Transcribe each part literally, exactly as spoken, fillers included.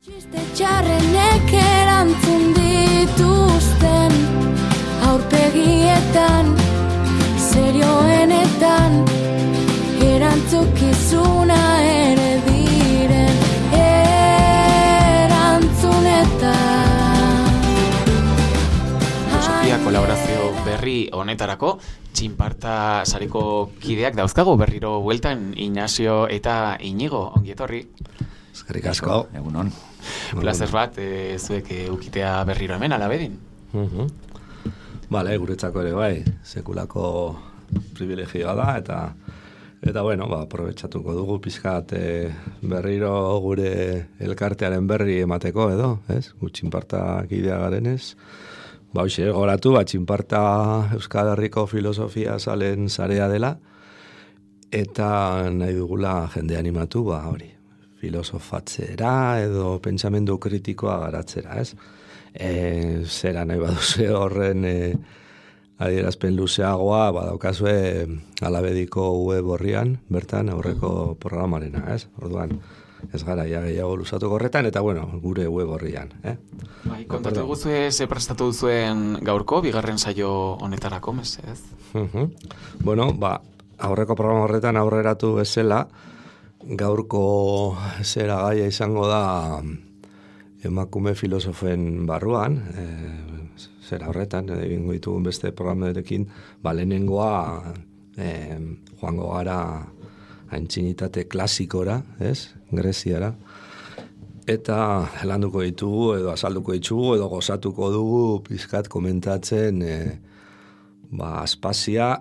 Txiste txarrenek erantzun dituzten aurpegietan, serioenetan, erantzukizuna ere diren erantzunetan. Filosofia kolaborazio berri honetarako txinparta sareko kideak dauzkago berriro bueltan, Ignacio eta Inigo, ongi etorri. Eskerrik asko. Egunon. Plazer bat, e, zuek eukitea berriro hemen, alabedin. Uh-huh. Bale, guretzako ere bai, sekulako privilegioa da, eta eta bueno, ba, aprobetxatuko dugu pizkat e, berriro gure elkartearen berri emateko edo, ez? Gu txinparta kidea garenez. Ba, hoxe, goratu, ba, txinparta Euskal Herriko filosofia salen sarea dela, eta nahi dugula jende animatu, ba, hori, filosofatzera edo pentsamendu kritikoa garatzera, ez? E, zera nahi baduze horren e, adierazpen luzeagoa, badaukazue alabediko web horrian, bertan aurreko programarena, ez? Orduan, ez gara ja gehiago luzatuko horretan, eta bueno, gure web horrian, eh? Bai, kontatu guzue ze prestatu duzuen gaurko, bigarren saio honetarako, mes, ez? Uh-huh. Bueno, ba, aurreko programa horretan aurreratu bezala, gaurko zera gaia izango da emakume filosofen barruan, e, zera horretan, egingo ditugun beste programerekin, ba, lehenengoa e, joango gara aintzinitate klasikora, ez? Greziara. Eta landuko ditugu, edo azalduko ditugu, edo gozatuko dugu pizkat komentatzen e, ba, Aspazia,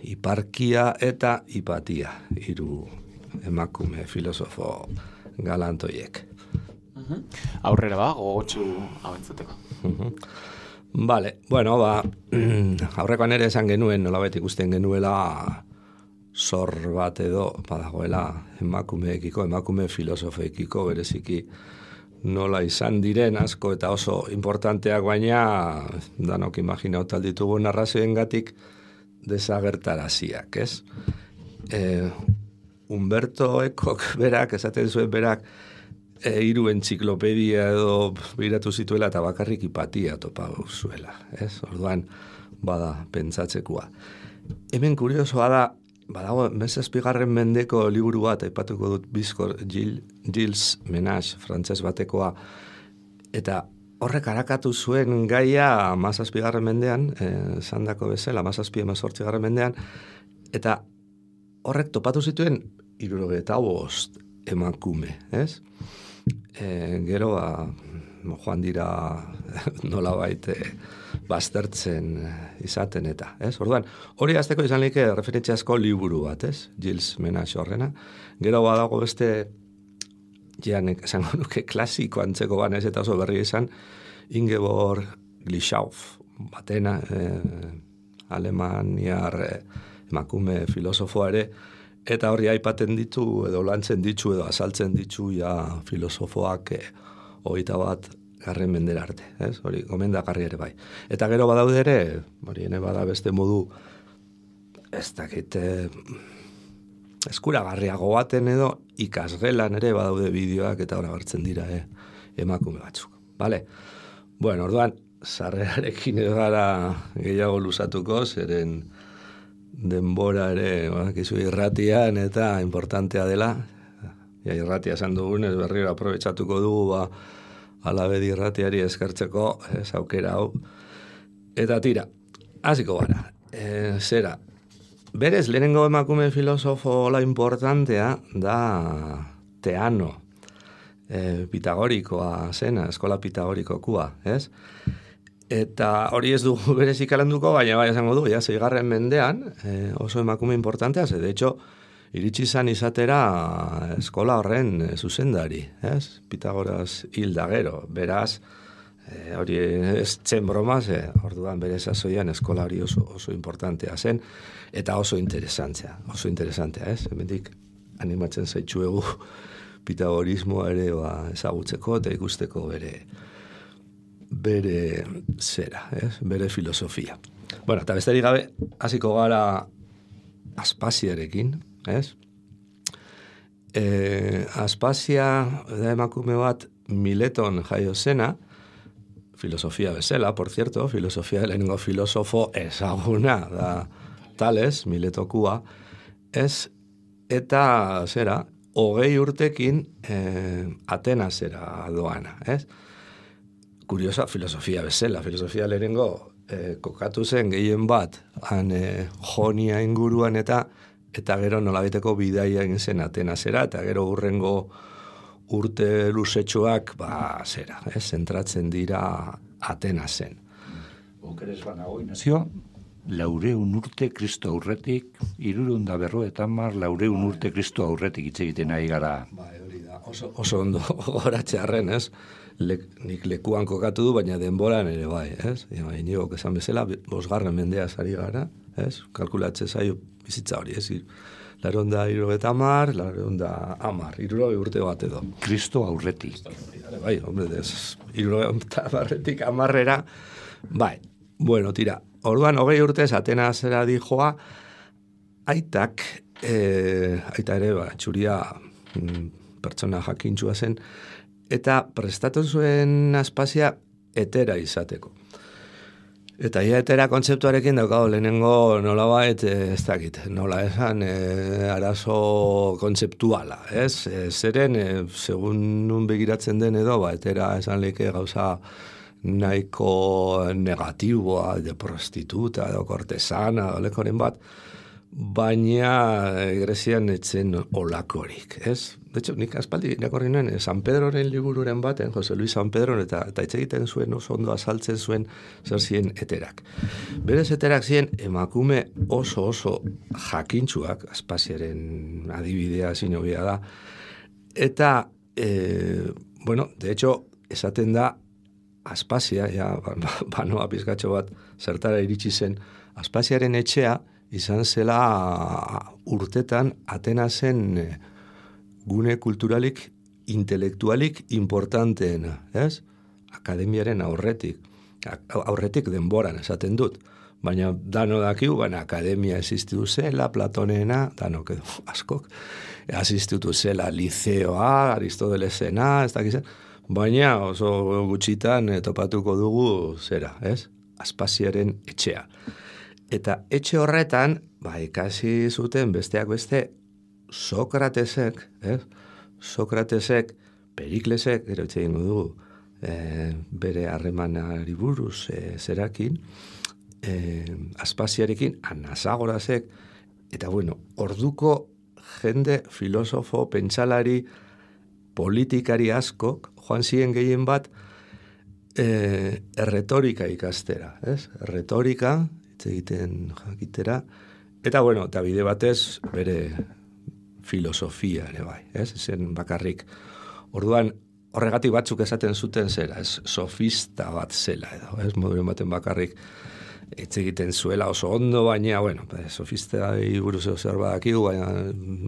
Hiparkia eta Hipatia, hiru emakume filosofo galantoiek. Uh-huh. Aurrera ba, gogotsu hau entzuteko. Uh-huh. Vale, bueno, ba, aurrekoan ere esan genuen, nolabait ikusten genuela zor bat edo badagoela emakumeekiko, emakume filosofeekiko bereziki nola izan diren asko eta oso importanteak, baina danok imaginatu alditugu narrazioengatik desagertaraziak, ez? Eh, Humberto Ecok berak, esaten zuen berak, e, hiru entziklopedia edo biratu zituela eta bakarrik Hipatia topa zuela, ez? Orduan, bada, pentsatzekoa. Hemen kuriosoa da, badago, mezazpigarren mendeko liburu bat, aipatuko dut Bizkor Gil, Gilles Menage, frantses batekoa, eta horrek arakatu zuen gaia mazazpigarren mendean, eh, zandako bezala, mazazpi emezortzigarren mendean, eta horrek topatu zituen hirurogeita bost emakume, ez? E, gero, ba, joan dira nolabait e, baztertzen izaten eta, ez? Orduan, hori azteko izan like referentziazko liburu bat, ez? Gilles Menage horrena. Gero badago beste, janek, esango nuke klasiko antzeko banez eta oso berri izan, Ingeborg Glischauf, batena, e, alemaniar e, emakume filosofoa ere, eta horri aipaten ditu, edo lantzen ditu, edo azaltzen ditu, ja, filosofoak eh, hogeita bat garren mendera arte, ez? Hori, gomendagarri ere bai. Eta gero badaude ere, hori ene bada beste modu, ez dakit, eh, eskuragarriago baten edo, ikasgelan ere badaude bideoak, eta hori agertzen dira eh, emakume batzuk. Bale? Bueno, orduan, sarrerarekin ez gara gehiago luzatuko, zeren denbora ere, bakizu irratian eta importantea dela. Ja, irratia esan dugunez berriro aprobetxatuko dugu, ba, alabedi irratiari eskertzeko, ez aukera hau. Eta tira, hasiko gara. E, zera, berez, lehenengo emakume filosofo la importantea da Teano, e, pitagorikoa zena, eskola pitagorikokua, ez? Eta hori ez dugu berezik alanduko, baina bai esango du, ja, zeigarren mendean, eh, oso emakume importantea, ze, de hecho, iritsi izan izatera eskola horren eh, zuzendari, ez? Pitagoras hilda gero, beraz, eh, hori ez zen broma, ze, orduan bere sasoian eskola hori oso, oso importantea zen, eta oso interesantzea, oso interesantea, ez? Hemendik animatzen zaitxuegu pitagorismoa ere ba, ezagutzeko eta ikusteko bere bere zera, ez? Bere filosofia. Bueno, eta besterik gabe, hasiko gara Aspaziarekin, ez? E, Aspazia da emakume bat Mileton jaio zena, filosofia bezala, por cierto, filosofia lehenengo filosofo ezaguna da Tales, Miletokua, ez, eta zera, hogei urtekin eh, Atenasera doana, ez? Kuriosa, filosofia bezala, filosofia lehenengo eh, kokatu zen gehien bat, han eh, Jonia inguruan eta eta gero nolabiteko bidaia egin zen Atenasera, eta gero hurrengo urte luzetxoak, ba, zera, ez, zentratzen dira Atenasen. Okeres banago, Inazio, laureun urte Kristo aurretik, irureun da berro eta mar laureun urte Kristo aurretik hitz egiten ari gara. Ba, hori da, oso, oso ondo goratxearren, ez? Le, nik lekuan kokatu du, baina denboran ere bai, ez? Ja, inigok esan bezala, bosgarren mendea sari gara, ez? Kalkulatze zaio bizitza hori, ez? Laronda irurogeta amar, laronda amar, irurogei urte bat edo. Kristo aurretik. Bai, hombre, ez, irurogeta amarretik amarrera, bai, bueno, tira, orduan hogei urtez Atenasera dijoa, aitak, e, aita ere, ba, txuria mm, pertsona jakintxua zen, eta prestatu zuen Aspazia etera izateko. Eta ia etera kontzeptuarekin daukago lehenengo nolabait, ez dakit, nola esan, e, arazo kontzeptuala, ez? E, zeren, e, segun nun begiratzen den edo, ba, etera esan leke gauza nahiko negatiboa, de prostituta, edo kortesana, olekoren bat, baina Grezian etzen olakorik, ez? De hecho, nik aspaldi irakorri nuen, San Pedroren libururen baten, Jose Luis San Pedro, eta, eta hitz egiten zuen, oso ondo azaltzen zuen zer ziren eterak. Berez eterak ziren emakume oso oso jakintsuak, Aspaziaren adibidea zinobia da, eta, e, bueno, de hecho, esaten da, Aspazia, ja, banoa pizkatxo bat zertara iritsi zen, Aspaziaren etxea izan zela urtetan Atenasen gune kulturalik, intelektualik importanteena, ez? Akademiaren aurretik, aurretik denboran esaten dut, baina dano dakigu, baina akademia existitu zela, Platonena, danok edo askok, existitu zela liceoa, Aristotelesena, ez dakizen, baina oso gutxitan topatuko dugu zera, ez? Aspaziaren etxea. Eta etxe horretan, ba, ikasi zuten besteak beste, Sokratesek, ez? Sokratesek, Periklesek, gero etxe egingo dugu, e, bere harremanari buruz e, zerakin, e, Aspaziarekin, Anasagorazek, eta bueno, orduko jende, filosofo, pentsalari, politikari askok, joan ziren gehien bat, e, erretorika ikastera, ez? Erretorika, hitz egiten jakitera, eta bueno, eta bide batez, bere filosofia ere bai, ez? Zen bakarrik. Orduan, horregatik batzuk esaten zuten zera, ez? Sofista bat zela edo, ez? Moduren baten bakarrik hitz egiten zuela oso ondo, baina, bueno, sofista buruz zer badakigu, baina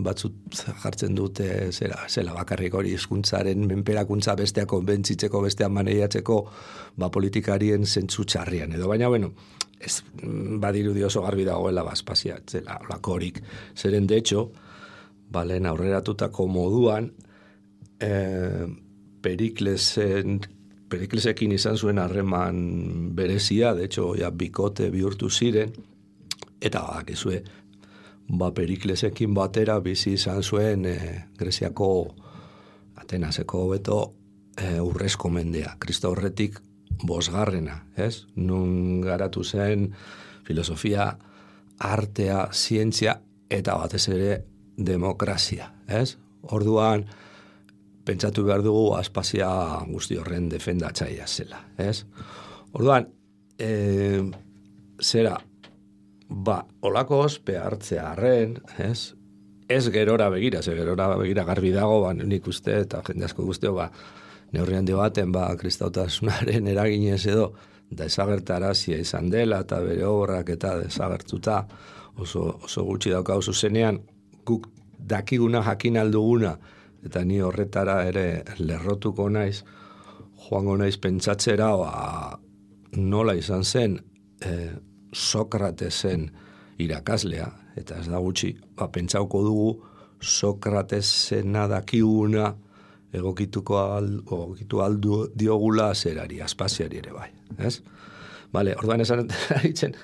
batzut jartzen dute zera, zela bakarrik hori hizkuntzaren menperakuntza bestea konbentzitzeko, bestea maneiatzeko, ba politikarien zentzu txarrian edo, baina, bueno, ez badirudi oso garbi dagoela Aspazia, zela lakorik, zeren de hecho, balen aurreratutako moduan, eh, Periklesen, Periklesekin izan zuen harreman berezia, de hecho, ja, bikote bihurtu ziren, eta bakizue, ba, Periklesekin batera bizi izan zuen eh, Greziako Atenaseko beto eh, urrezko mendea, Kristo horretik bosgarrena, ez? Nun garatu zen filosofia, artea, zientzia, eta batez ere demokrazia, ez? Orduan, pentsatu behar dugu Aspazia guzti horren defendatzaia zela, ez? Orduan, e, zera, ba, olako ospe hartzea harren, ez? Ez gerora begira, ze gerora begira garbi dago, ba, nik uste, eta jende asko guztio, ba, neurrian debaten, ba, kristautasunaren eraginez edo, desagertarazia izan dela, eta bere obrak eta desagertuta, oso, oso gutxi daukau zuzenean, guk dakiguna jakin alduguna, eta ni horretara ere lerrotuko naiz, joango naiz pentsatzera, ba, nola izan zen eh, Sokratesen irakaslea, eta ez da gutxi, ba, pentsauko dugu Sokratesena dakiguna egokituko al, egokitu aldu diogula zerari, Aspaziari ere bai, ez? Bale, orduan esan ditzen,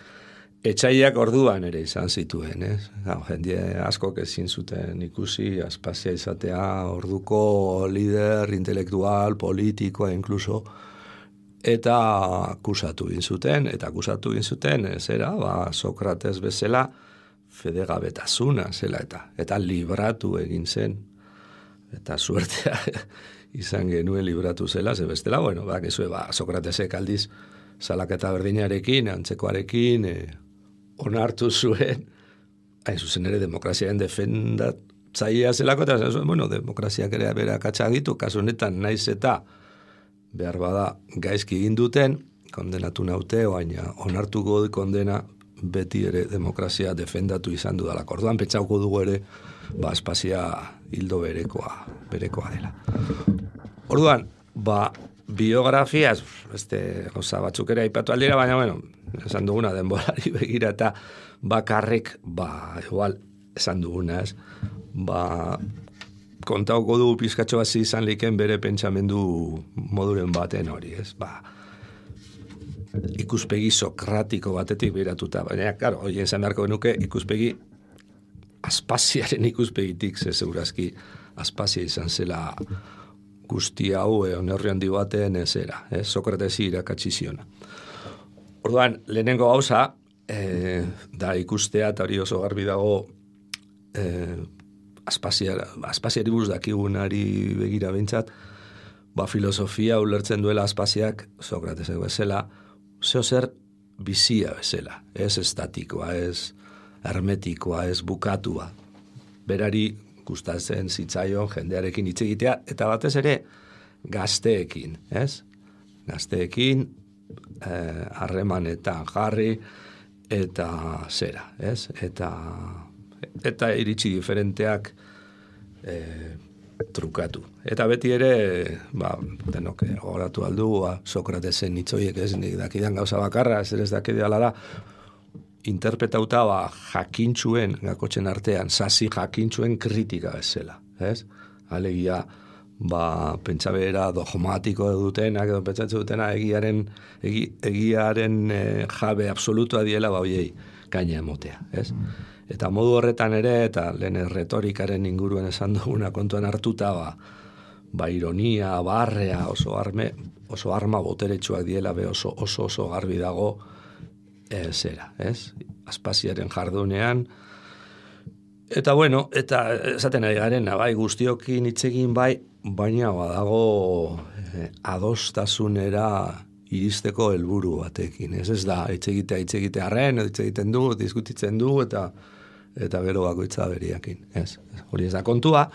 etxaiak orduan ere izan zituen, ez? Gau, jendie askok ezin zuten ikusi Aspazia izatea orduko lider intelektual, politikoa inkluso, eta akusatu egin zuten, eta akusatu egin zuten, zera, ba, Sokrates bezala, fedegabetasuna zela eta, eta libratu egin zen, eta suertea izan genuen libratu zela, ze bestela, bueno, bak ezue, ba, Sokratesek aldiz, salaketa berdinarekin, antzekoarekin, e, onartu zuen, hain zuzen ere demokraziaren defendatzailea zelako, eta zuen, bueno, demokraziak ere bera katxagitu, kasu honetan naiz eta behar bada gaizki egin duten, kondenatu naute, baina onartuko du kondena beti ere demokrazia defendatu izan dudalako. Orduan pentsauko dugu ere, ba, Aspazia hildo berekoa, berekoa dela. Orduan, ba, biografiaz, beste gauza batzuk ere aipatu aldira, baina, bueno, esan duguna denborari begira eta bakarrik, ba, igual, esan duguna, ez, ba, kontauko du pizkatxo bat izan liken bere pentsamendu moduren baten hori, ez, ba, ikuspegi sokratiko batetik biratuta, baina, karo, hori esan beharko genuke, ikuspegi Aspaziaren ikuspegitik, ze segurazki Aspazia izan zela guzti hau onerri handi baten ezera, eh? Sokratesi irakatsi ziona. Orduan, lehenengo gauza, eh, da ikustea, eta hori oso garbi dago, eh, Aspaziari buruz dakigunari begira behintzat, ba, filosofia ulertzen duela Aspaziak, Sokratesek bezala, zeo zer bizia bezala, ez estatikoa, ez hermetikoa, ez bukatua. Berari gustatzen zitzaion jendearekin hitz egitea, eta batez ere gazteekin, ez? Gazteekin harremanetan eh, jarri eta zera, ez? Eta, eta iritsi diferenteak eh, trukatu. Eta beti ere, ba, denok gogoratu aldu, ba, Sokratesen hitzoiek ez, nik dakidan gauza bakarra, ez ez dakideala da, interpretauta ba, jakintxuen, gakotzen artean, sasi jakintxuen kritika bezala, ez? Alegia, ba, pentsabera dogmatiko dutenak, edo pentsatzen dutena egiaren, egi, egiaren e, jabe absolutua diela, ba, oiei, gaina emotea, ez? Eta modu horretan ere, eta lehen retorikaren inguruen esan duguna kontuan hartuta, ba, ba ironia, barrea, oso, arme, oso arma boteretsuak diela, be oso, oso, oso garbi dago, E, zera, ez? Aspaziaren jardunean. Eta bueno, eta esaten ari garen, bai, guztiokin hitzegin bai, baina badago eh, adostasunera iristeko helburu batekin. Ez ez da, hitzegitea, hitzegitea arren, hitzegiten du, diskutitzen du, eta eta gero bakoitza beriakin. Ez, hori ez da kontua,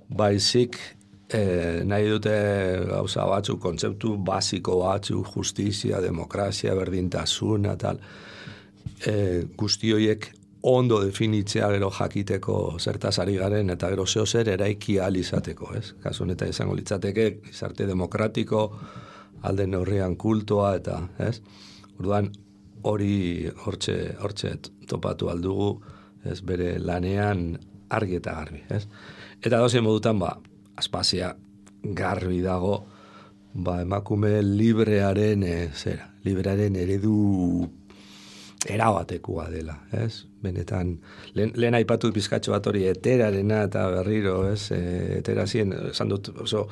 baizik eh, nahi dute gauza batzuk, kontzeptu basiko batzuk, justizia, demokrazia, berdintasuna, tal, E, guzti horiek ondo definitzea gero jakiteko zertaz ari garen eta gero zeo zer eraiki ahal izateko, ez? Kasu honetan izango litzateke gizarte demokratiko alde neurrian kultoa eta, ez? Orduan hori hortxe hortxe topatu aldugu, ez, bere lanean argi eta garbi, ez? Eta dozen modutan ba Aspazia garbi dago ba emakume librearen e, zera, librearen eredu erabatekoa dela, ez? Benetan, lehen, lehen aipatut bizkatxo bat hori eterarena eta berriro, ez? E, eterazien, esan dut, oso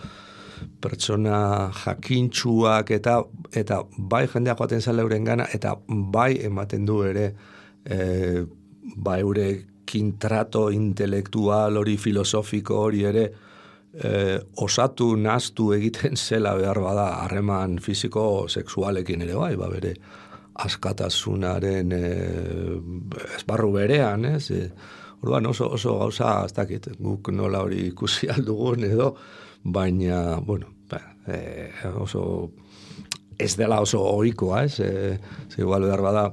pertsona jakintxuak eta eta bai jendea joaten zala euren gana, eta bai ematen du ere e, bai eurekin trato intelektual hori filosofiko hori ere e, osatu naztu egiten zela behar bada harreman fisiko sexualekin ere bai, ba bere askatasunaren e, esparru berean, ez? E, orduan oso, oso gauza, ez dakit, guk nola hori ikusi aldugun edo, baina, bueno, ba, e, oso, ez dela oso ohikoa, ez? E, ze igual behar bada,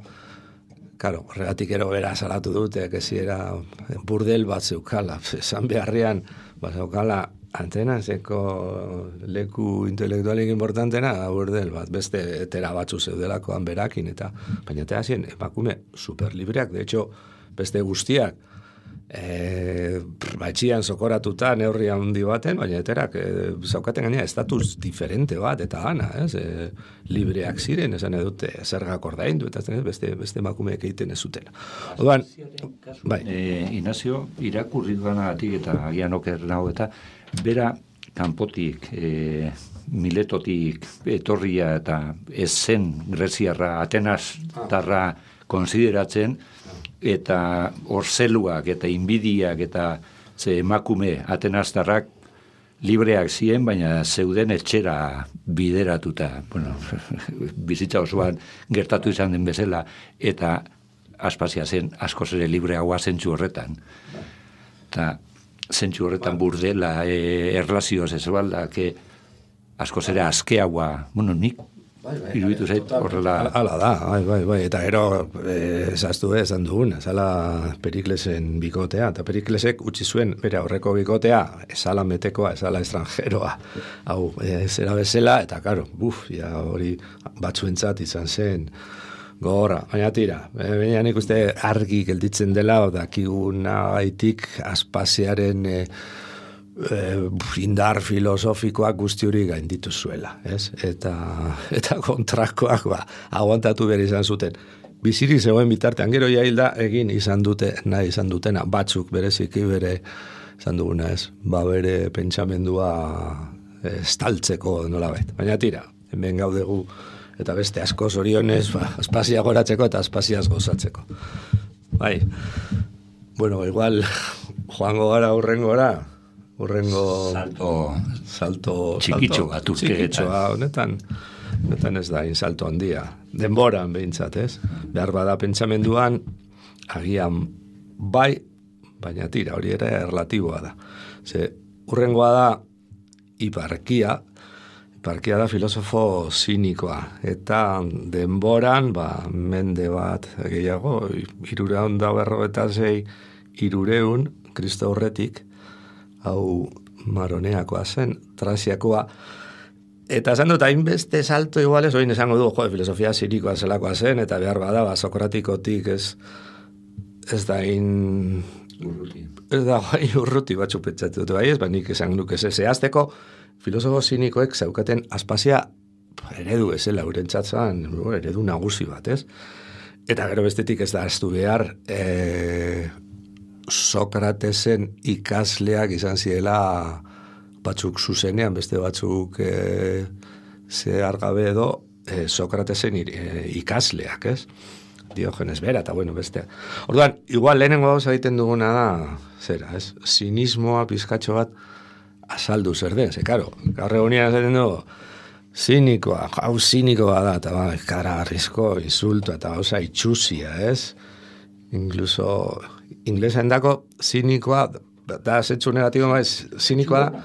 karo, horregatik ero bera salatu dute, kezi era burdel bat zeukala, esan beharrian, bat zeukala, antena, zeko leku intelektualik importantena, burdel bat, beste etera batzu zeudelakoan berakin, eta baina eta hasien emakume superlibreak, de hecho, beste guztiak, E, batxian sokoratuta neurri handi baten, baina eterak e, zaukaten gaina estatus diferente bat, eta gana, ez? E, libreak ziren, esan edute, zergak ordaindu, eta ez, beste, beste emakumeek egiten ez zuten. Oduan, bai. E, Inazio, irakurri duanagatik eta agian oker nago, eta bera kanpotik, e, Miletotik etorria eta ez zen greziarra, Atenastarra konsideratzen, eta orzeluak eta inbidiak eta ze emakume Atenastarrak libreak ziren, baina zeuden etxera bideratuta, bueno, bizitza osoan gertatu izan den bezala, eta Aspazia zen askoz ere libreagoa zentzu horretan. Eta zentzu horretan burdela, e, erlazioz ez balda, que askoz ere askeagoa, bueno, nik Bai, bai, iruditu zait horrela. Hala da, bai, bai, bai. Eta ero, ezaztu eh, esan dugun, ezala Periklesen bikotea, eta Periklesek utzi zuen, bere aurreko bikotea, ezala metekoa, ezala estrangeroa, hau, e, zera bezala, eta karo, buf, ja hori batzuentzat izan zen, gogorra, baina tira, baina nik uste argi gelditzen dela, dakiguna gaitik Aspaziaren e, E, indar filosofikoak guzti hori gainditu zuela, ez? Eta, eta kontrakoak ba, aguantatu behar izan zuten. Bizirik zegoen bitartean, gero jailda egin izan dute, nahi izan dutena, batzuk bereziki bere izan duguna, ez? Ba bere pentsamendua estaltzeko nolabait. Baina tira, hemen gaudegu eta beste asko zorionez, ba, Aspazia goratzeko eta Aspaziaz gozatzeko. Bai, bueno, igual joango gara urrengora, Urrengo salto, salto txikitxo bat urte. Txikitxoa, honetan, honetan ez da, salto handia. Denboran behintzat, ez? Behar bada pentsamenduan, agian bai, baina tira, hori ere relatiboa da. Ze, urrengoa da, Hiparkia, Hiparkia da filosofo zinikoa, eta denboran, ba, mende bat, gehiago, hirureun da berro eta zei, hirureun, Kristo aurretik, hau Maroneakoa zen, Traziakoa, eta esan dut, hainbeste salto iguales, oin esango du, jo, filosofia zirikoa zelakoa zen, eta behar bada, ba, Sokratikotik ez, ez da in... Urruti. Ez da, bai, urruti batzu pentsatu dut, bai ez, ba, nik esan nuke ez, zehazteko, filosofo zinikoek zaukaten Aspazia eredu ezela, urentzatzen, eredu nagusi bat, ez? Eta gero bestetik ez da, ez du behar, e... Sokratesen ikasleak izan zirela batzuk zuzenean, beste batzuk e, zehar gabe edo e, Sokratesen e, ikasleak, ez? Diogenes bera, eta bueno, bestea. Orduan, igual lehenengo gauza egiten duguna da, zera, ez? Sinismoa pizkatxo bat azaldu zer den, ze, karo, gaur egunean esaten dugu, zinikoa, hau zinikoa da, eta ba, karagarrizko insulto, eta gauza itxusia, ez? Incluso inglesean dako zinikoa, da zentzu negatibo maiz, zinikoa da,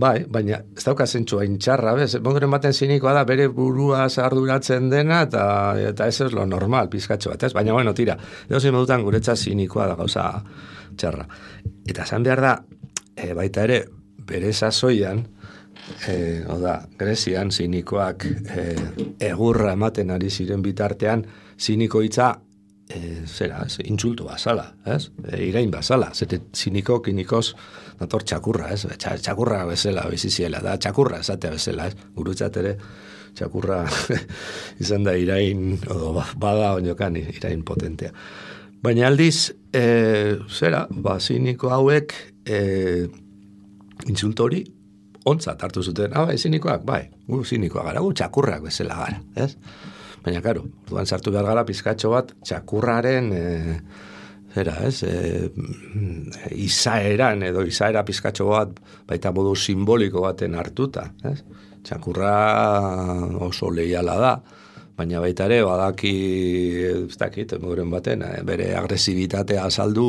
bai, baina ez dauka zentzu hain txarra, bez? Bongoren baten zinikoa da, bere burua arduratzen dena, eta, eta ez ez lo normal, pizkatxo bat, ez? Baina, bueno, tira, edo zein modutan guretza zinikoa da gauza txarra. Eta zan behar da, e, baita ere, bere sasoian, e, oda, Grezian, zinikoak e, egurra ematen ari ziren bitartean, ziniko hitza, E, zera, ez, intsultu bazala, ez? E, irain bazala, zete ziniko, kinikoz, dator txakurra, ez? Txakurra bezala biziziela, da txakurra esatea bezala, ez? Gurutzat ere, txakurra izan da irain, odo, bada oinokan irain potentea. Baina aldiz, e, zera, ba, ziniko hauek, e, intsulto hori, ontzat hartu zuten, ah, bai, zinikoak, bai, gu zinikoak gara, gu txakurrak bezala gara, ez? Baina, karo, orduan sartu behar gara pizkatxo bat txakurraren e, zera, ez, e, izaeran edo izaera pizkatxo bat baita modu simboliko baten hartuta, ez? Txakurra oso leiala da, baina baita ere badaki, ez dakit, moduren baten, bere agresibitatea azaldu,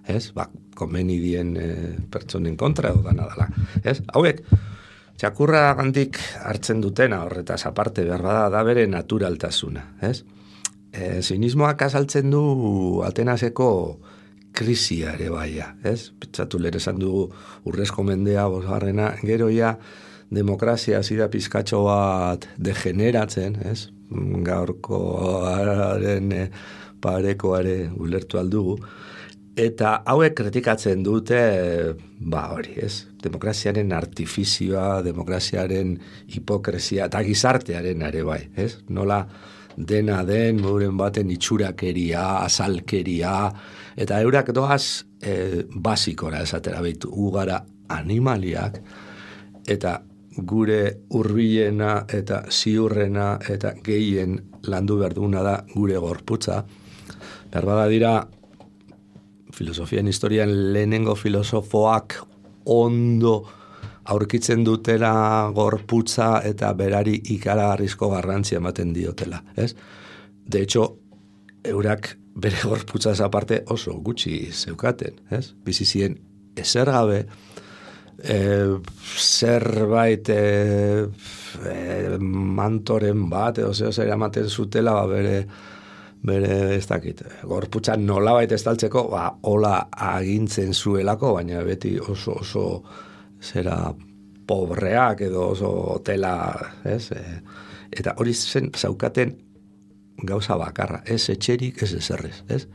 ez, ba, konbenidien e, pertsonen kontra edo dana dela, ez? Hauek, txakurra gandik hartzen dutena horretaz aparte behar bada da bere naturaltasuna, ez? E, zinismoak azaltzen du Atenaseko krisia ere baia, ez? Pentsatu lehen esan dugu urrezko mendea bosgarrena, gero ja demokrazia zida pizkatxo bat degeneratzen, ez? Gaurkoaren parekoare ulertu aldugu, Eta hauek kritikatzen dute, ba hori, ez? Demokraziaren artifizioa, demokraziaren hipokresia, eta gizartearen ere bai, ez? Nola dena den, moduren baten itxurakeria, azalkeria, eta eurak doaz e, basikora esatera behitu, ugara animaliak, eta gure hurbilena eta ziurrena eta gehien landu behar duguna da gure gorputza. Berbada dira, filosofian historian lehenengo filosofoak ondo aurkitzen dutela gorputza eta berari ikaragarrizko garrantzia ematen diotela, ez? De hecho, eurak bere gorputzaz aparte oso gutxi zeukaten, ez? Bizizien ezer gabe, e, zerbait e, e, mantoren bat, edo zeo zer ematen zutela, ba, bere bere ez dakit, gorputza nolabait estaltzeko, ba, hola agintzen zuelako, baina beti oso oso zera pobreak edo oso hotela, ez? E, eta hori zen zaukaten gauza bakarra, ez etxerik, ez ezerrez, ez?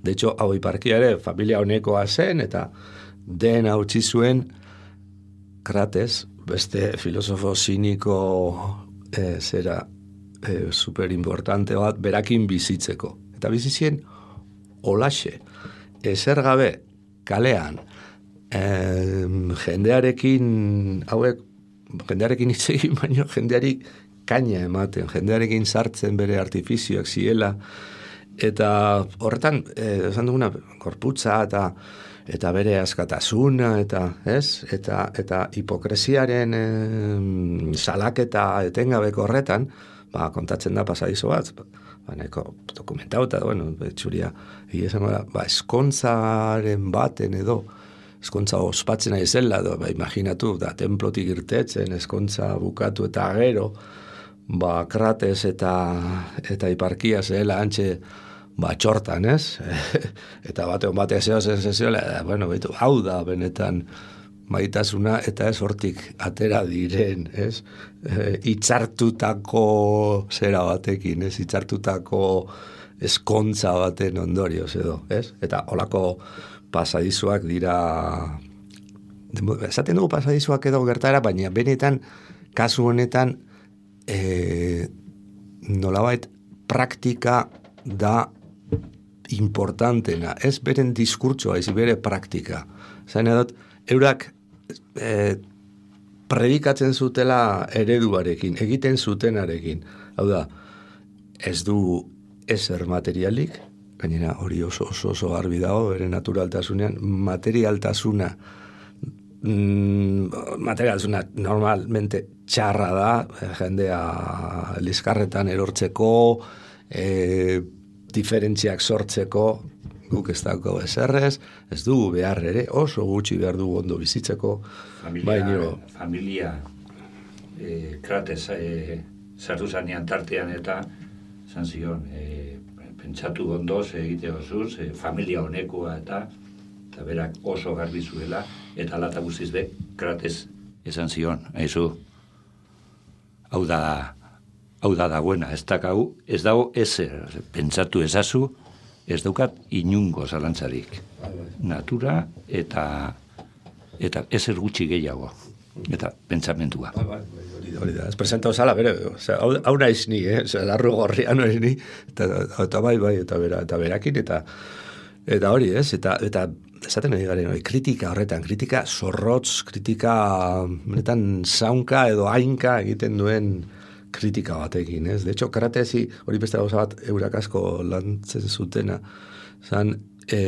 De hecho, hau iparkia ere, familia honekoa zen, eta den hautsi zuen Krates, beste filosofo siniko e, zera E, super importante bat berakin bizitzeko. Eta bizizien olaxe, ezer gabe kalean e, jendearekin hauek jendearekin hitz egin baino jendeari kaina ematen, jendearekin sartzen bere artifizioak ziela, eta horretan e, esan duguna gorputza eta eta bere askatasuna eta, ez? Eta eta hipokresiaren e, salaketa etengabeko horretan, ba, kontatzen da pasadizo bat, ba, nahiko dokumentauta, bueno, betxuria, esango da, ba, eskontzaren baten edo, eskontza ospatzen ari zela, edo, ba, imaginatu, da, templotik irtetzen, eskontza bukatu eta gero, ba, Krates eta, eta hiparkia zela antxe, ba, txortan, ez? Eta batean batea zeo zen zeziola, bueno, betu, hau da, benetan, maitasuna eta ez hortik atera diren, ez? E, itzartutako zera batekin, ez? Itzartutako eskontza baten ondorioz edo, ez? Eta holako pasadizuak dira, esaten dugu pasadizuak edo gertara, baina benetan, kasu honetan, e, nolabait praktika da importantena, ez beren diskurtsoa, ez bere praktika. Zain edot, eurak e, predikatzen zutela ereduarekin, egiten zutenarekin. Hau da, ez du ezer materialik, gainera hori oso oso, oso garbi dago, bere naturaltasunean, materialtasuna, mm, materialtasuna normalmente txarra da, jendea liskarretan erortzeko, e, diferentziak sortzeko, guk ez dago ezerrez, ez dugu behar ere, oso gutxi behar dugu ondo bizitzeko. Familia, baino, familia e, Krates e, sartu zanean tartean eta zan zion, e, pentsatu ondoz egite osuz, e, familia honekoa eta eta berak oso garbi zuela, eta lata guztiz be, Krates esan zion, haizu, hau da, hau da dagoena, ez dakau, ez dago ezer, pentsatu ezazu, ez daukat inungo zalantzarik. Natura eta eta ezer gutxi gehiago. Eta pentsamendua. Hori da, ez presentau zala, bere, hau, hau naiz ni, eh? Oza, larru gorrian naiz ni, eta, eta bai, bai, eta, bera, eta berakin, eta eta hori, ez? Eta, eta esaten nahi garen, hori, kritika horretan, kritika zorrotz, kritika, benetan, zaunka edo hainka egiten duen kritika batekin, ez? De hecho, Kratesi, hori beste gauza bat, eurak asko lantzen zutena, zan, e,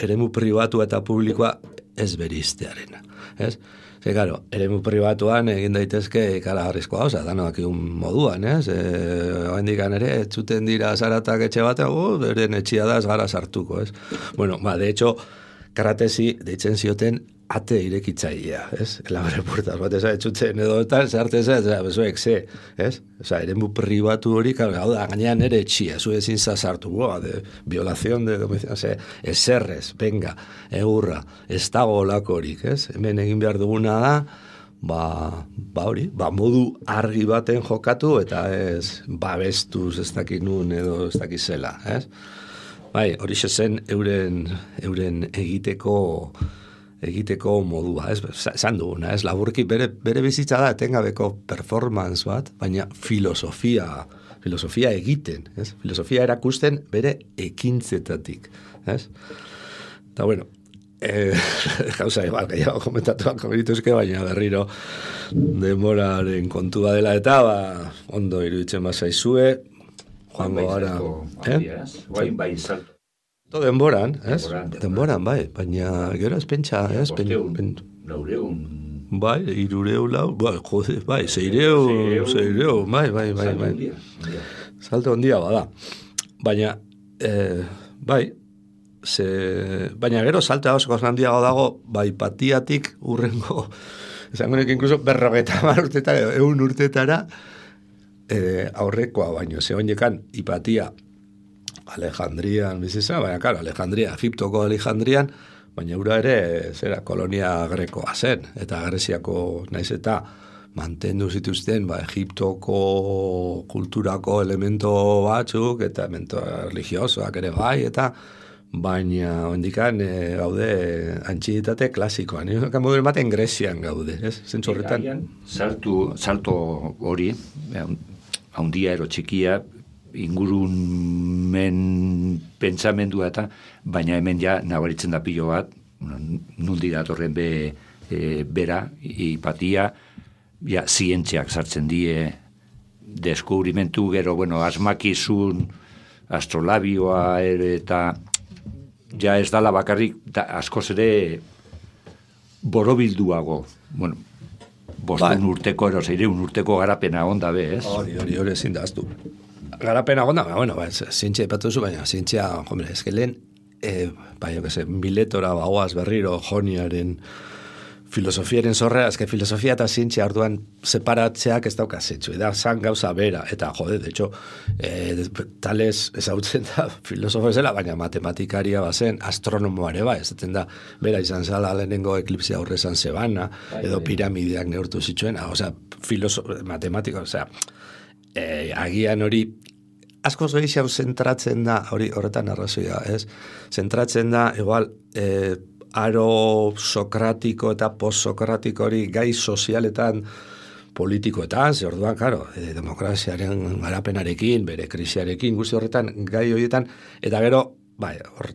eremu pribatu eta publikoa ez beriztearena, ez? Ze, claro, eremu pribatuan egin daitezke ikaragarrizko gauza, danoak egun moduan, ez? E, oendikan ere, etxuten dira zaratak etxe batean, uh, beren etxia da ez gara sartuko, ez? Bueno, ba, de hecho, Kratesi deitzen zioten ate irekitzailea, ez? Elabere puertas bat, eza, etxutzen edo eta zarte eza, eza, bezuek, ze, ez? Oza, eremu pribatu hori, hau da, gainean ere etxia, zu ezin zazartu, boa, de violación de domicilio, ose, eserrez, venga, egurra, ez dago olakorik, ez? Hemen egin behar duguna da, ba, ba hori, ba modu argi baten jokatu, eta ez, babestuz ez dakit nun edo ez dakit zela, ez? Bai, hori zen euren, euren egiteko egiteko modua, ez? Esan duguna, ez? Laburki bere, bere bizitza da etengabeko performance bat, baina filosofia, filosofia egiten, ez? Filosofia erakusten bere ekintzetatik, ez? Eta bueno, eh, gauza igual, gehiago komentatuak komenituzke, baina berriro denboraren kontua dela eta, ba, ondo iruditzen bazaizue, joango gara, eh? Guain bai salto. To denboran, ez? Denboran, Denboran, bai, baina gero ez pentsa, ez? Bosteun, laureun. Bai, irureu lau, bai, jode, bai, zeireu, zeireu, bai, bai, bai, bai. Salto ondia bada. Baina, eh, bai, ze, baina gero salto oso handiago dago, bai, patiatik urrengo, esango nek incluso berrogeta mar urtetara, eun urtetara, eh, aurrekoa baino, ze oinekan, hipatia, Alejandrian bizitza, baina, karo, Alejandria, Egiptoko Alejandrian, baina ura ere, zera, kolonia grekoa zen, eta Greziako naiz eta mantendu zituzten, ba, Egiptoko kulturako elemento batzuk, eta elemento religiosoak ere bai, eta baina, ondikan, e, gaude, antxiditate klasikoa, nire moduen baten Grezian gaude, ez? Zentzu horretan. Saltu, salto hori, haundia ero txikia, ingurumen pentsamendua eta, baina hemen ja nabaritzen da pilo bat, nundi datorren be, e, bera, hipatia, ja, zientziak sartzen die, deskubrimentu gero, bueno, asmakizun, astrolabioa ere, eta ja ez dala bakarrik, da, askoz ere borobilduago, bueno, bostun ba. urteko, ero, zeireun urteko garapena onda be, ez? Hori, hori, hori ezin da aztu. Garapena gonda, bueno, ba, zientzia ipatu zu, baina zientzia, hombre, ez que lehen, e, bai, jo que se, miletora bagoaz berriro joniaren filosofiaren zorrea, ez que filosofia eta zientzia orduan separatzeak ez dauka zetsu, da, zan gauza bera, eta jode, de hecho, e, tales ezautzen da filosofo zela, baina matematikaria bazen, astronomoare ba, ez da, bera izan zala lehenengo eklipsia aurre zan zebana, edo piramideak neurtu zituen, osea, filosofo, matematiko, osea, E, agian hori asko gehiago zentratzen da, hori horretan arrazoia, ez? Zentratzen da, igual, e, aro sokratiko eta post-sokratiko hori gai sozialetan politikoetan, ze orduan, karo, e, demokraziaren garapenarekin, bere krisiarekin, guzti horretan, gai horietan, eta gero, bai, hor,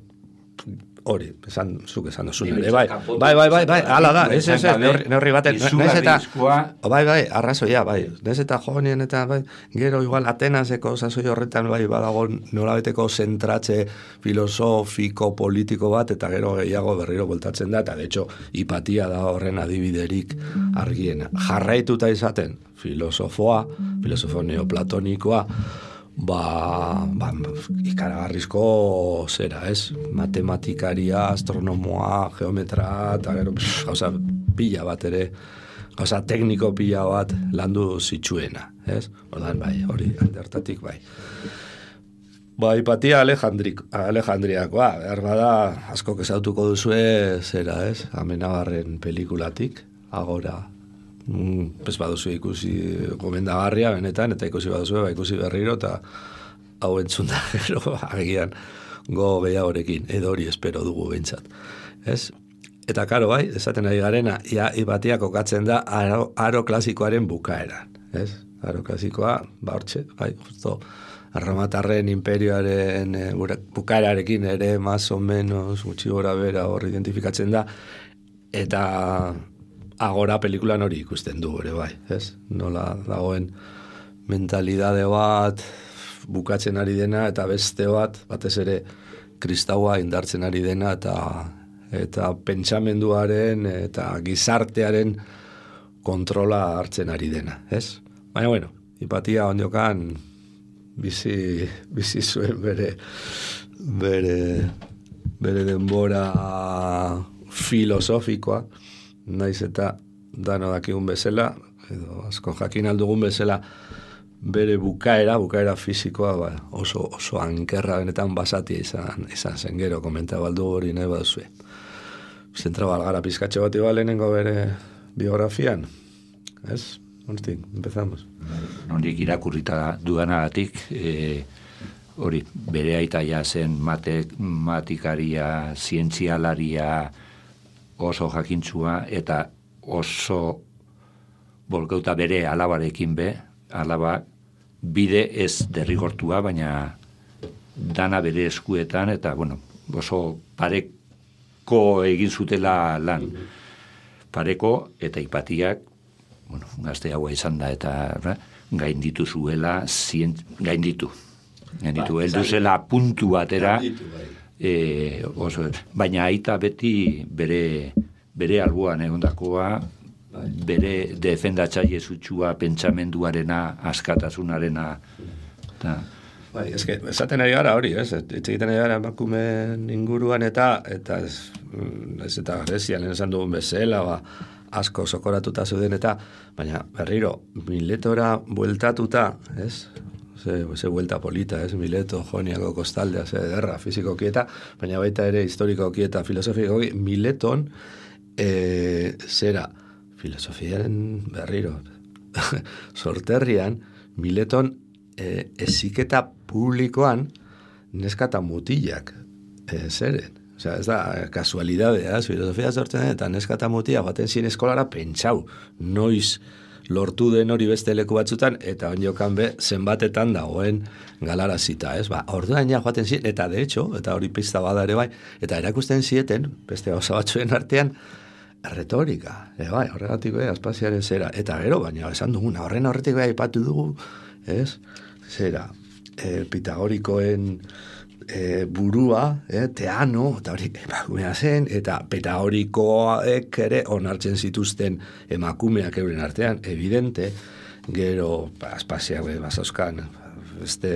hori, esan, zuk esan dozun ere, bai, bai, bai, bai, bai, ala da, ez, ez, ez, neurri baten, nez eta, bai, bai, arrazoia, bai, nez eta jonien eta, bai, gero igual Atenaseko sasoi horretan, bai, badago nolabeteko zentratze filosofiko, politiko bat, eta gero gehiago berriro voltatzen da, eta de hecho, hipatia da horren adibiderik argiena. Jarraituta izaten, filosofoa, filosofo neoplatonikoa, ba, ba ikaragarrizko zera, ez? Matematikaria, astronomoa, geometra, eta gero, gauza pila bat ere, gauza tekniko pila bat landu zitsuena, ez? Ordan, bai, hori, aldertatik, bai. Ba, hipatia Alejandriakoa, behar bada, asko kezautuko duzue, zera, ez? Amenabarren pelikulatik, agora, Mm, pues baduzu ikusi gomendagarria benetan, eta ikusi baduzu ba, ikusi berriro, eta hau entzun da gero agian go gehiagorekin, edo hori espero dugu behintzat. Ez? Eta karo bai, esaten ari garena, ia hipatia kokatzen da aro, aro klasikoaren bukaeran. Ez? Aro klasikoa, ba hortxe, bai, justo Arramatarren imperioaren e, bukaerarekin ere, más o menos, gutxi gora bera hor identifikatzen da, eta agora pelikulan hori ikusten du ere bai, ez? Nola dagoen mentalidade bat bukatzen ari dena, eta beste bat, batez ere kristaua indartzen ari dena, eta eta pentsamenduaren eta gizartearen kontrola hartzen ari dena, ez? Baina, bueno, hipatia ondiokan bizi, bizi zuen bere bere bere denbora filosofikoa, naiz eta dano dakigun bezala, edo asko jakin aldugun bezala, bere bukaera, bukaera fisikoa, ba, oso, oso ankerra benetan basatia izan, izan zen gero, komenta baldu hori nahi baduzue. Zentra balgara pizkatxe bat iba lehenengo bere biografian, ez? Hortik, empezamos. Nondik irakurrita dudanagatik, e, hori, bere aitaia zen matematikaria, zientzialaria, oso jakintzua, eta oso bolkeuta bere alabarekin be, alaba bide ez derrigortua, baina dana bere eskuetan, eta, bueno, oso pareko egin zutela lan. Pareko eta Ipatiak, bueno, gazte haua izan da, eta gainditu zuela, zien, gainditu. Gainditu, ba, heldu zela puntu batera, e, oso, baina aita beti bere, bere alboan egondakoa, bere defendatzaile zutxua, pentsamenduarena, askatasunarena, eta... Bai, eske, esaten ari gara hori, ez? Etxegiten ari gara emakumeen inguruan eta, eta ez, ez eta Grezian esan dugun bezala, ba, asko sokoratuta zeuden eta, baina berriro, Miletora bueltatuta, ez? Ze, ze buelta polita, ez? Mileto, Joniako kostaldea, ze derra, fizikoki eta, baina baita ere historikoki eta filosofikoki, Mileton, e, zera, filosofiaren berriro, sorterrian, Mileton, e, eziketa publikoan neska eta mutilak e, zeren. Osea, ez da kasualidadea, filosofia sortzen eta neska eta mutila baten zien eskolara pentsau, noiz lortu den hori beste leku batzutan, eta onjokan be zenbatetan dagoen galarazita, ez? Ba, orduan ja joaten zien, eta de hecho, eta hori pista bada ere bai, eta erakusten zieten, beste gauza batzuen artean, retorika, e, bai, horregatik bai, aspaziaren zera, eta gero, baina esan duguna, horren horretik bai aipatu dugu, ez? Zera, e, Pitagorikoen e, burua, e, Teano, eta hori emakumea zen, eta Pitagorikoek ere onartzen zituzten emakumeak euren artean, evidente, gero, ba, aspaziak be, bazauzkan, beste,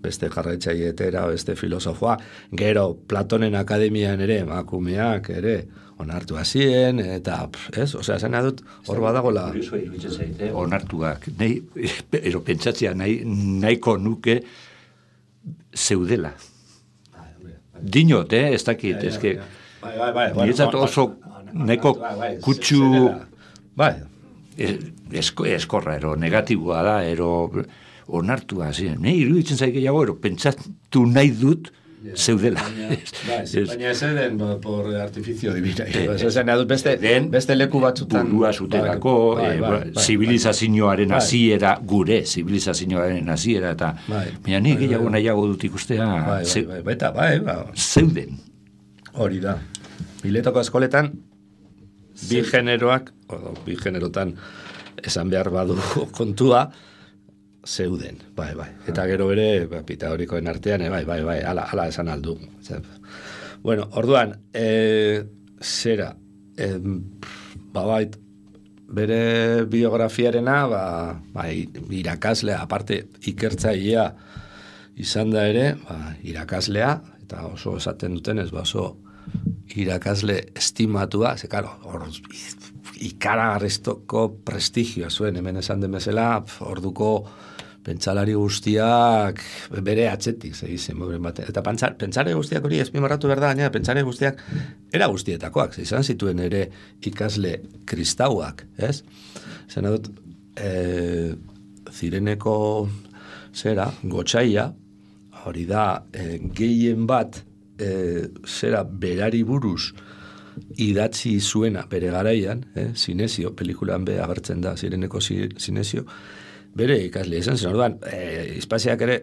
beste jarraitzaietera, beste filosofoa, gero, Platonen akademian ere, emakumeak ere, onartu hazien, eta, ez, osea, zena dut, hor badagola... Kurioso iruditzen zaite, onartuak, nahi, ero pentsatzea, nahi, nahiko nuke zeudela. Dinot, eh, ez dakit, ez que... Bai, bai, bai. Niretzat oso nahiko kutsu... Bai. Eskorra, ero, negatiboa da, ero, onartua, ziren. Nahi, iruditzen zaite gehiago, ero, pentsatu nahi dut, zeudela. Baina ez den por artificio divina. Ezen adut beste, beste leku batzutan. Burua zutelako, zibilizazioaren hasiera, gure zibilizazioaren hasiera, eta baina nik gehiago nahiago dut ikustea zeuden. Hori da. Miletoko eskoletan, bi generoak, bi generotan esan behar badu kontua, zeuden, bai, bai. Eta gero bere, ba, Pitagorikoen artean, bai, bai, bai, ala, ala esan aldu. Bueno, orduan, e, zera, e, ba, bai, bere biografiarena, ba, bai, irakaslea, aparte, ikertzailea izan da ere, ba, irakaslea, eta oso esaten dutenez, ba, oso irakasle estimatua, ze, karo, hor, ikaragarriztoko prestigioa zuen, hemen esan den bezala, orduko pentsalari guztiak bere atzetik, segizen, eta pentsare guztiak hori ezpimarratu behar da, gaina pentsare guztiak era guztietakoak, izan zituen ere ikasle kristauak, ez? Zena dut, e, zireneko zera, gotxaia, hori da, e, gehien bat, e, zera, berari buruz, idatzi zuena bere garaian, eh, Sinesio, pelikulan be agertzen da zireneko Sinesio, bere ikasle izan zen, orduan, eh, Ispaziak ere,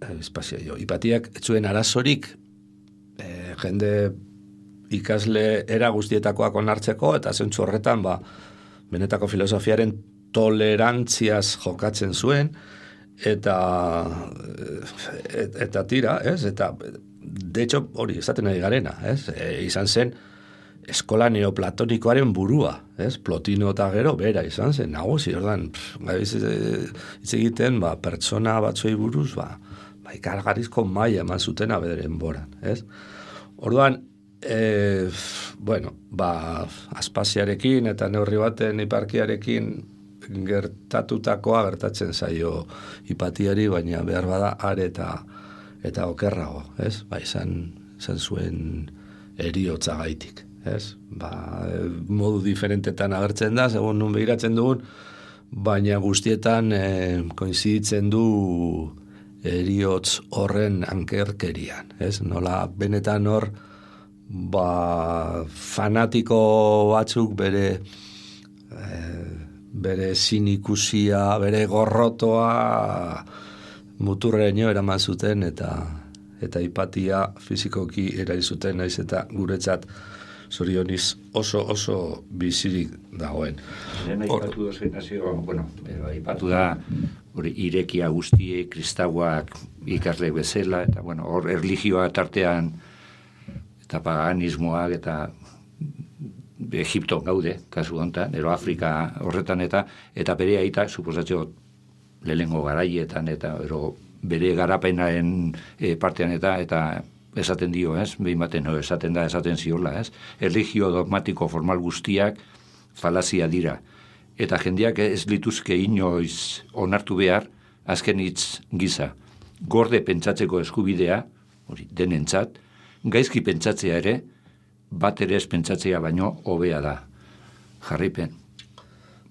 eh, Ispazia jo, Ipatiak zuen arazorik, eh, jende ikasle era guztietakoak onartzeko, eta zentzu horretan, ba, benetako filosofiaren tolerantziaz jokatzen zuen, eta et, eta tira, ez? Eta, de hecho, hori, esaten ari garena, ez? E, izan zen, eskola neoplatonikoaren burua, ez? Plotino eta gero, bera izan zen, nagusi, ordan, gabiz hitz egiten, ba, pertsona batzuei buruz, ba, ba ikargarizko maila eman zutena bederen boran, ez? Orduan, e, bueno, ba, Aspaziarekin eta neurri baten Hiparkiarekin gertatutakoa gertatzen zaio Hipatiari, baina behar bada are eta eta okerrago, ez? Ba, izan, izan zuen eriotza gaitik, ez? Ba, modu diferentetan agertzen da, segun nun begiratzen dugun, baina guztietan eh, koinziditzen du eriotz horren ankerkerian, ez? Nola benetan hor, ba, fanatiko batzuk bere eh, bere sinikusia, bere gorrotoa muturreño eraman zuten eta eta hipatia fizikoki erail zuten, naiz eta guretzat zorioniz oso oso bizirik dagoen. Lehen aipatu da nazio, bueno, aipatu da hori irekia guztiek, kristauak ikasle bezala, eta bueno, hor erlijioa tartean eta paganismoak eta Egipto gaude, kasu honetan, ero Afrika horretan eta eta bere aita, suposatio lehengo garaietan eta ero bere garapenaren e, partean eta eta esaten dio, ez? Behin baten, no, esaten da, esaten ziola, ez? Erlijio dogmatiko formal guztiak falazia dira. Eta jendeak ez lituzke inoiz onartu behar, azken hitz giza. Gorde pentsatzeko eskubidea, hori, denentzat, gaizki pentsatzea ere, bat ere ez pentsatzea baino hobea da. Jarripen.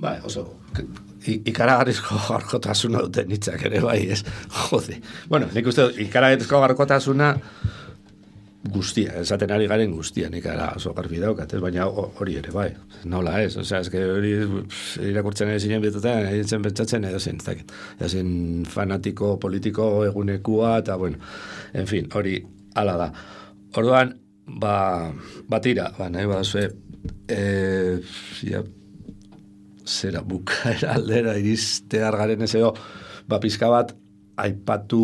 Bai, oso, ikaragarrizko gaurkotasuna duten hitzak ere, bai, ez? Jode. Bueno, nik uste ikaragarrizko gaurkotasuna guztia, esaten ari garen guztia, nik ara oso garbi daukat, ez? Baina hori ere, bai, nola ez, osea, eske hori irakurtzen ere zinen bietutan, egin pentsatzen edo zen, ez dakit, edo zen fanatiko, politiko egunekua, eta bueno, en fin, hori hala da. Orduan, ba, batira, ba, nahi badazue, e, ja, zera bukaera aldera iristear garen ez edo, ba, pizka bat, aipatu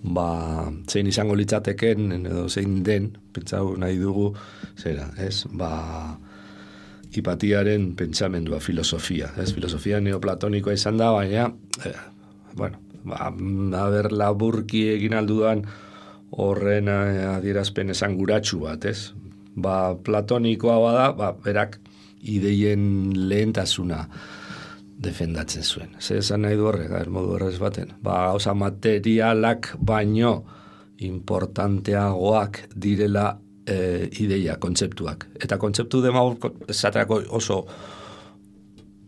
ba, zein izango litzateken edo zein den, pentsau nahi dugu, zera, ez, ba, hipatiaren pentsamendua, filosofia, ez, filosofia neoplatonikoa izan da, baina, eh, bueno, ba, haber laburki egin aldudan horren adierazpen esanguratsu bat, ez, ba, platonikoa bada, ba, berak ideien lehentasuna defendatzen zuen. Ze esan nahi du horrek, modu horrez baten. Ba, gauza materialak baino importanteagoak direla e, ideia, kontzeptuak. Eta kontzeptu demagog, esaterako oso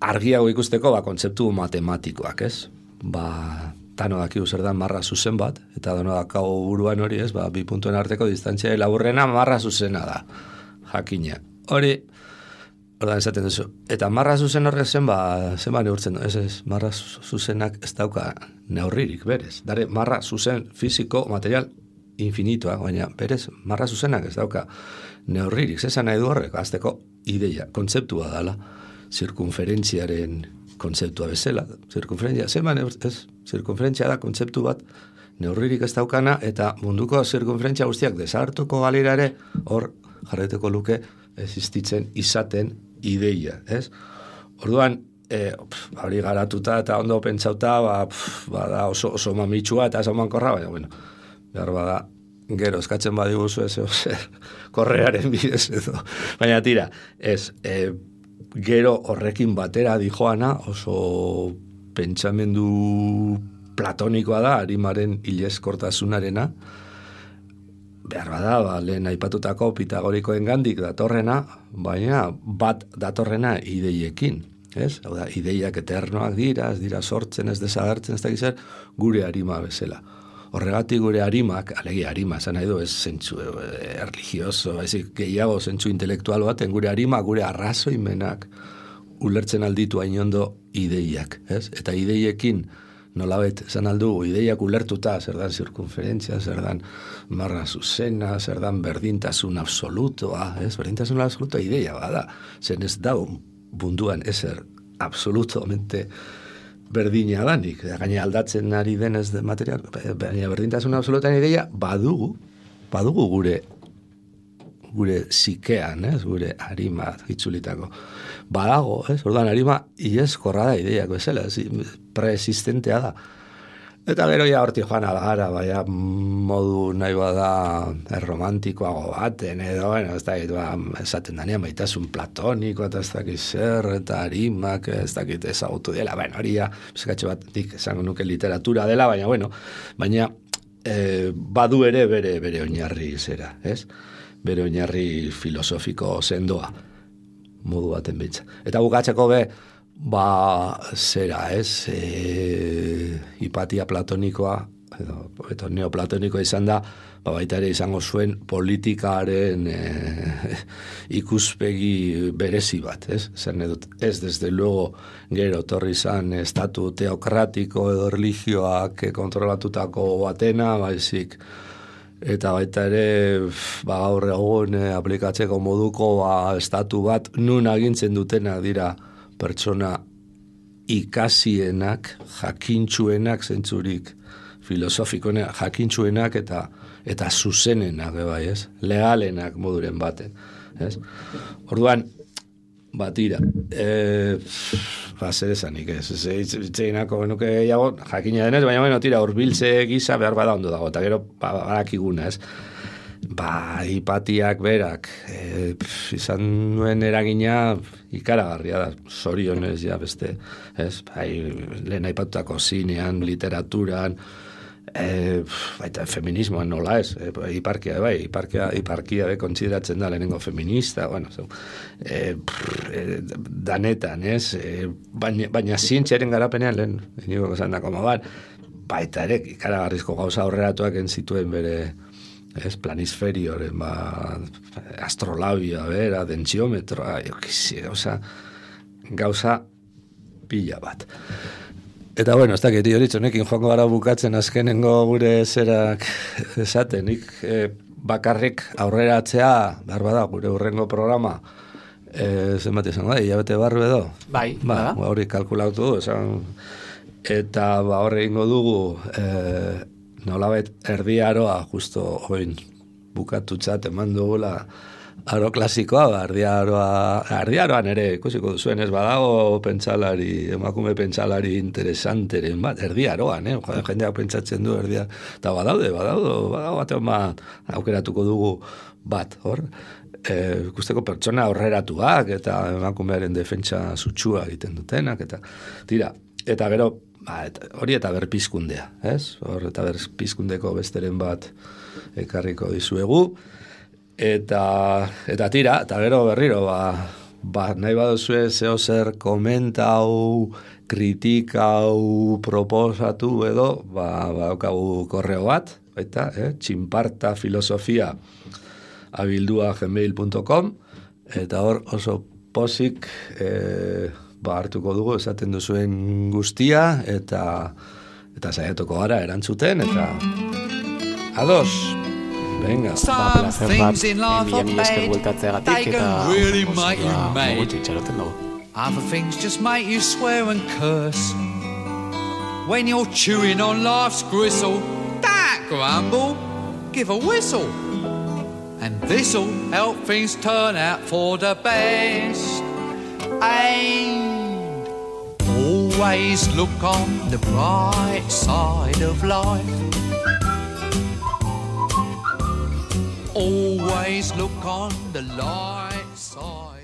argiago ikusteko, ba, kontzeptu matematikoak, ez? Ba, tano dakigu zer da marra zuzen bat, eta dano dakago buruan hori, ez? Ba, bi puntuen arteko distantzia laburrena marra zuzena da, jakina. Hori, ordan esaten duzu. Eta marra zuzen horrek zen, ba, zen ba neurtzen, ez ez, marra zuzenak ez dauka neurririk, berez. Dare, marra zuzen fiziko, material, infinitoa, baina berez, marra zuzenak ez dauka neurririk. Zezan nahi du horrek, azteko ideia, kontzeptua dala, zirkunferentziaren kontzeptua bezala. Zirkunferentzia, zen ba neurtzen, ez, zirkunferentzia da kontzeptu bat, neurririk ez daukana, eta munduko zirkunferentzia guztiak desagertuko galera ere, hor jarreteko luke, existitzen izaten ideia, ez? Orduan, eh, hori garatuta eta ondo pentsauta, ba, pf, ba da oso, oso mamitsua eta oso mankorra, baina, bueno, behar bada, gero, eskatzen badiguzu ez, zer, korrearen bidez edo. Baina tira, ez, e, gero horrekin batera dijoana, oso pentsamendu platonikoa da, arimaren hilezkortasunarena, behar bada, ba, lehen aipatutako pitagorikoen gandik datorrena, baina bat datorrena ideiekin, ez? Hau da, ideiak eternoak dira, ez dira sortzen, ez desagertzen, ez dakizer, gure arima bezala. Horregatik gure arimak, alegi arima, zan nahi du, ez zentzu eh, religioso, ezik gehiago zentzu intelektual baten, gure arima, gure arrazoimenak ulertzen alditu hainondo ideiak, ez? Eta ideiekin, nolabet, zan aldugu, ideiak ulertuta, zer dan zirkunferentzia, zer dan marra zuzena, zer dan berdintasun absolutoa, ez? Berdintasun absolutoa ideia bada, zen ez dau bunduan ezer absolutamente berdina danik, gaina aldatzen ari denez de material, baina berdintasun absolutan ideia badugu, badugu gure gure zikean, ez? Gure arima itzulitako. Badago, ez? Orduan arima ieskorra da ideiak bezala, preexistentea da. Eta gero ja horti joan algara, baina modu nahi bada erromantikoago baten, edo, bueno, ez dakit, ba, esaten danean baitasun platoniko, eta ez dakit zer, eta arimak, ez dakit ezagutu dela, bueno, hori ja, bizkatxe bat, dik esango nuke literatura dela, baina, bueno, baina eh, badu ere bere, bere oinarri zera, ez? Bere oinarri filosofiko sendoa, modu baten bitza. Eta bukatzeko be, ba, zera, ez, e, hipatia platonikoa, edo, edo neoplatonikoa izan da, ba, baita ere izango zuen politikaren e, ikuspegi berezi bat, ez? Zer dut, ez desde luego gero torri izan estatu teokratiko edo religioak kontrolatutako batena, baizik, eta baita ere, ba, gaur egun e, aplikatzeko moduko ba, estatu bat nun agintzen dutenak dira pertsona ikasienak, jakintsuenak zentzurik, filosofikoenak, jakintsuenak eta eta zuzenenak, bai, ez? Legalenak moduren baten, ez? Orduan, batira, e, ba, zer esanik, ez? Itzeinako genuke gehiago, jakina denez, baina bueno, tira, urbiltze gisa behar bada ondo dago, eta gero, ba, badakiguna, ez? Ba, hipatiak berak, e, pf, izan nuen eragina ikaragarria da, zorionez, ja, beste, ez? Bai, lehen aipatutako zinean, literaturan, e, baita feminismoan nola ez, e, iparkia, bai, iparkia, iparkia be, kontsideratzen da lehenengo feminista, bueno, so, e, pff, e, danetan, ez? E, baina, baina zientziaren garapenean, lehen, inigo esan da, koma bat, baita ere, ikaragarrizko gauza horreratuak entzituen bere, ez, planisferioren, ba, astrolabia, bera, dentsiometroa, jo, kizi, gauza, gauza pila bat. Eta bueno, ez dakit, hori txonekin joango gara bukatzen azkenengo gure zerak esaten, nik eh, bakarrik aurreratzea, behar bada, gure urrengo programa, eh, zenbat izango da, hilabete barru edo? Bai, ba, bada. Hori kalkulatu du, esan, eta ba, horre ingo dugu, eh, nolabait erdi aroa, justo oin bukatutzat eman dugula aro klasikoa, ba, erdi aroa, erdi aroan ere, ikusiko duzuen, ez badago pentsalari, emakume pentsalari interesanteren bat, erdi aroan, eh? Jendeak pentsatzen du erdia, eta badaude, badaude, badago batean bat, aukeratuko dugu bat, hor, e, ikusteko pertsona aurreratuak, eta emakumearen defentsa sutsua egiten dutenak, eta tira, eta gero, ba, eta, hori eta berpizkundea, ez? Hor, eta berpizkundeko besteren bat ekarriko dizuegu, eta, eta tira, eta gero berriro, ba, ba nahi baduzue zeo zer komentau, kritikau, proposatu edo, ba, ba daukagu korreo bat, baita, eh? txinparta filosofia abildua gmail punto com, eta hor oso pozik, eh, ba, hartuko dugu esaten duzuen guztia, eta eta saiatuko gara erantzuten, eta ados, venga. Ba, placer bat, mila mila esker bueltatzeagatik, eta gutxi itxaroten dugu. Other things just make you swear and curse when you're chewing on life's gristle. Don't grumble, give a whistle, and this'll help things turn out for the best. And always look on the bright side of life. Always look on the light side.